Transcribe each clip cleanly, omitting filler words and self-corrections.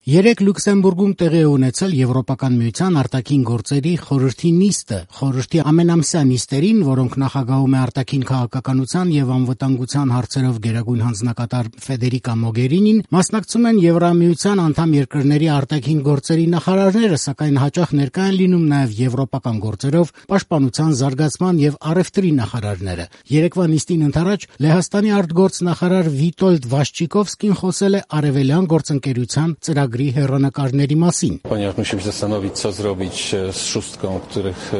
Երեկ Լյուքսեմբուրգում տեղի է ունեցել Եվրոպական միության արտաքին գործերի խորհրդի նիստը։ Խորհրդի ամենամսյա նիստերին, որոնք նախագահում է արտաքին քաղաքականության եւ անվտանգության հարցերով գերագույն հանձնակատար Ֆեդերիկա Մոգերինին, մասնակցում են Եվրամիության անդամ երկրների արտաքին գործերի նախարարները, սակայն հաճախ ներկա են լինում նաեւ եվրոպական գործերով պաշտպանության, զարգացման եւ առևտրի նախարարները։ Երեկվա նիստին ընդառաջ Լեհաստանի արտգործնախարար Վիտոլդ Վաշչիկովսկին խոսել է արևելյան գործընկերության ծրագրի հեռանկարների մասին. Ponieważ musimy zastanowić, co zrobić z szóstką, których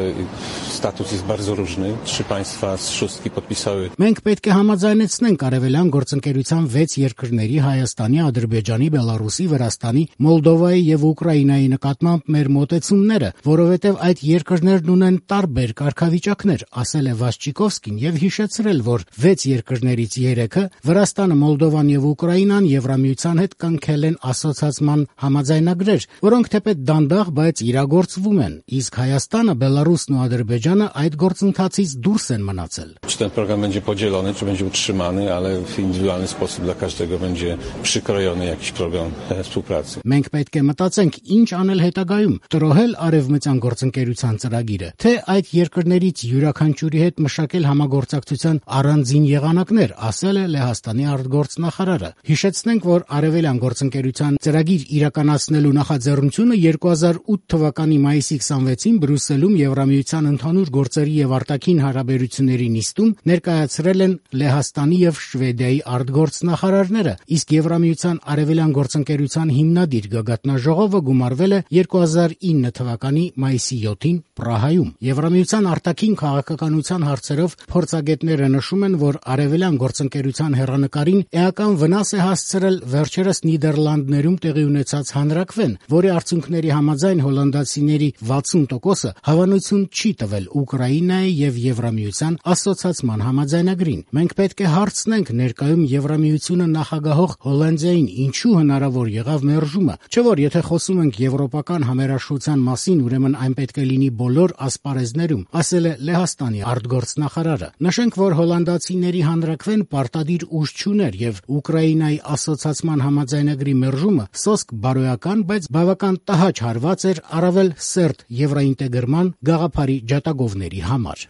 status jest bardzo różny. 3 państwa z szóstki podpisały. Մենք պետք է համաձայնեցնենք արևելյան գործընկերության 6 երկրների Հայաստանի, Ադրբեջանի, Բելարուսի, Վրաստանի, Մոլդովայի եւ Ուկրաինայի նկատմամբ մեր մոտեցումները, որովհետեւ այդ երկրներն ունեն տարբեր կարգավիճակներ, ասել է Վաշչիկովսկին եւ հիշեցրել, որ 6 երկրներից 3-ը Վրաստանը, Մոլդովան եւ Ուկրաինան Եվրամիության հետ կնքել են ասոցիացիան համաձայնագրեր, որոնք թեպետ դանդաղ, բայց իրագործվում են, իսկ Հայաստանը, Բելարուսն ու Ադրբեջանը այդ գործընթացից դուրս են մնացել. Czy ten program będzie podzielony, czy będzie utrzymany, ale w indywidualny sposób dla każdego będzie przykrojony jakiś program współpracy. Մենք պետք է մտածենք, ինչ անել հետագայում, տրոհել արևմտյան գործընկերության ծրագիրը, թե այդ երկրներից յուրաքանչյուրի հետ մշակել համագործակցության առանձին եղանակներ, ասել է Լեհաստանի արտգործնախարարը։ Հիշեցնենք, որ արևելյան գործընկերության ծրագիր իրականացնելու նախաձեռնությունը 2008 թվականի մայիսի 26-ին Բրյուսելում Եվրամիության ընդհանուր գործերի եւ արտաքին հարաբերությունների նիստում ներկայացրել են Լեհաստանի եւ Շվեդիայի արտգործնախարարները, իսկ Եվրամիության արևելյան գործընկերության հիմնադիր գագաթնաժողովը գումարվել է 2009 թվականի մայիսի 7-ին Պրահայում։ Եվրամիության արտաքին քաղաքականության հարցերով փորձագետները նշում են, որ արևելյան գործընկերության հեռանկարին էական վնաս է հասցրել վերջերս Նիդերլանդներում տեղի ունեցած հանրաքվեն, որի արդյունքների համաձայն հոլանդացիների 60%-ը հավանություն չի տվել Ուկրաինայի եւ Եվրամիության ասոցիացիան համաձայնագրին։ Մենք պետք է հարցնենք ներկայում Եվրամիությունը նախագահող Հոլանդիային ինչու հնարավոր եղավ մերժումը, չէ՞ որ եթե խոսում ենք եվրոպական համերաշխության մասին, ուրեմն այն պետք է լինի բոլոր ասպարեզներում, ասել է Լեհաստանի արտգործնախարարը։ Նշենք, որ հոլանդացիների հանրաքվեն պարտադիր ուժ չուներ եւ Ուկրաինայի ասոցիացիան համաձայնագրի մերժումը սոսկ բարոյական, բայց բավական տհաճ հարված էր առավել սերտ եվրոինտեգրման գաղափարի ջատագովների համար։